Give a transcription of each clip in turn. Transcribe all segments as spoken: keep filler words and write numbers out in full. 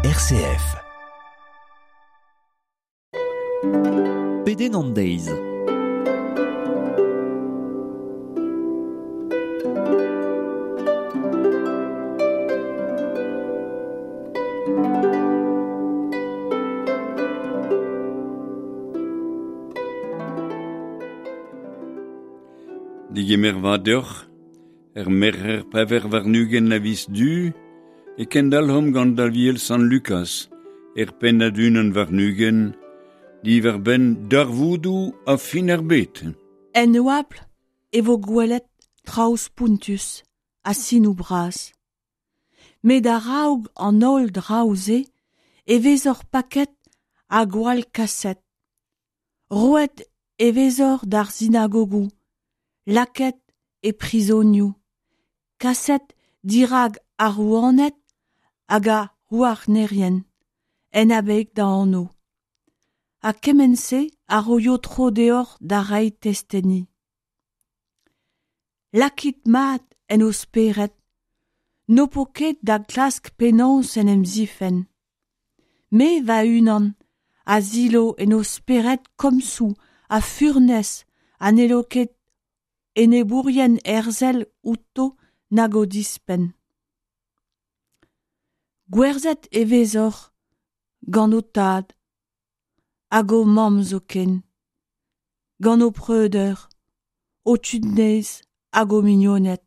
R C F. Pedenn an deiz. Digemer vat deoc'h, er merc'her pevar warn-ugent a viz Du, e kendalc'homp gant Aviel Sant Lukaz, er pennad unan warn-ugent, diwar-benn darvoudoù a fin ar bed. En oabl e vo gwelet traoù spontus ha sinoù bras. Met a-raok an holl draoù-se e vezoc'h paket ha gwall kaset. Roet e vezoc'h d'ar sinagogoù, lakaet e prizonioù, kaset dirak ar rouaned hag ar c'houarnerien, en abeg d'am anv. Ha kement-se a roio tro deoc'h da reiñ testeni. Lakit mat en ho spered, n'ho po ket da glask penaos en em zifenn. Me va-unan a silo en ho spered komzoù ha furnez ha n'hello ket enebourien herzel outo nag o dispenn. Gwerzhet e vezoc'h gant ho tad hag ho mamm zoken, gant ho preudeur, ho tud nes hag ho mignoned.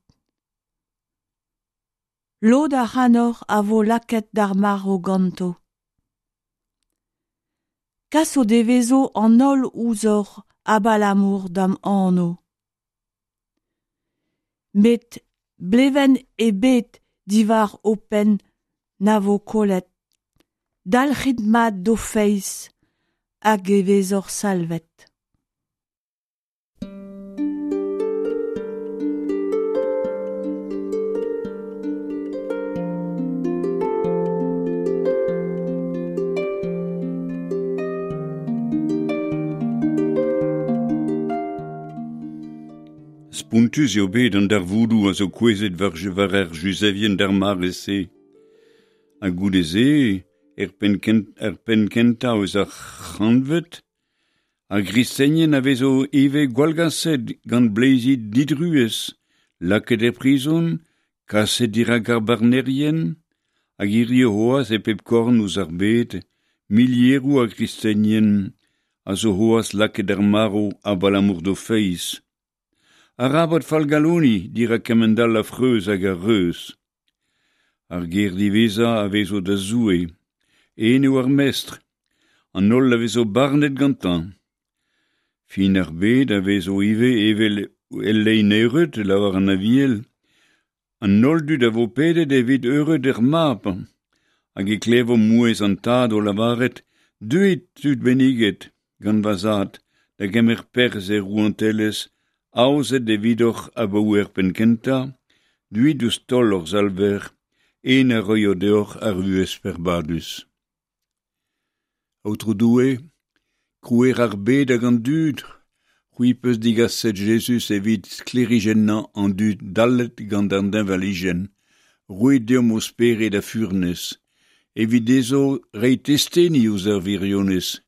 Lod ac'hanoc'h a vo lakaet d'ar marv ganto. Kas o devezo an holl ouzhoc'h abalamour d'am anv. Met blevenn ebet diwar ho penn na vo kollet. Dalc'hit mat d'ho feiz hag e vezoc'h salvet. Spontus eo bet an darvoudoù a zo kouezhet war, war ar Juzevien d'ar mare-se. Ha goude-se, er penn kent, er penn kentañ eus ar c'hantved, ar gristenien a vezo ivez gwallgaset gant bleizi didruez, lakaet er prizon, kaset dirak ar barnerien, hag hiziv c'hoazh e pep korn eus ar bed, milieroù a gristenien a zo c'hoazh lakaet d'ar marv abalamour d'o feiz. Arabat fallgaloniñ dirak kement-all a freuz hag a reuz. Ar ger diwezhañ a vezo da Zoue, en eo ar mestr, an holl a vezo barnet gantañ. Fin ar bed a vezo ivez evel el lein eured, lavar an Aviel. An holl dud a vo pedet evit eured ar mab, hag e klevo mouezh an tad o lavaret, deuit tud benniget, gant va zad, da gemer perzh er rouantelezh, aozet evidoc'h abaoe ar penn kentañ, deuit ouzh taol hor Salver, en a roio deoc'h ar vuhez peurbadus. Aotrou Doue, krouer ar bed hag an dud, c'hwi peus digaset Jezuz evit sklêrijennañ an dud dallet gant an deñvalijenn, roit deomp ho spered a furnez, evit dezho reiñ testeni ouzh ar wirionez,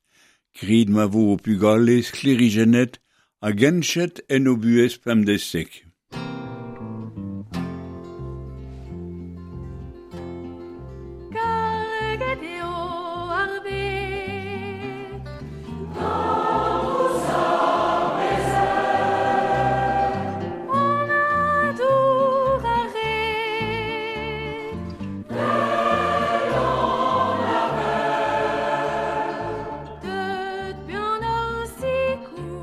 grit ma vo ho pugale sklêrijennet hag henchet en o buhez pemdeziek. Karget eo ar bed. An adour a red. Deut buan d'hor sikour.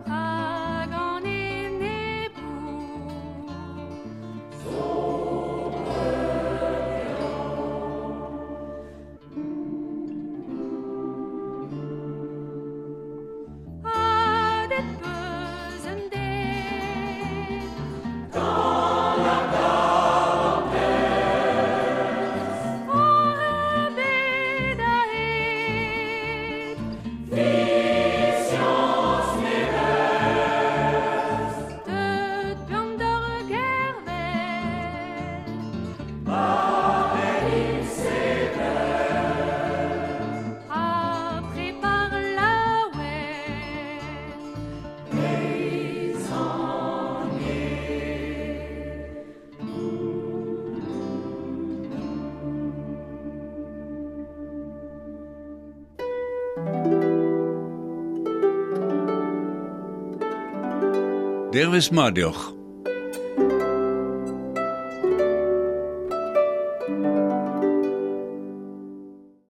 Rak an enebour. Dervez mat deoc'h.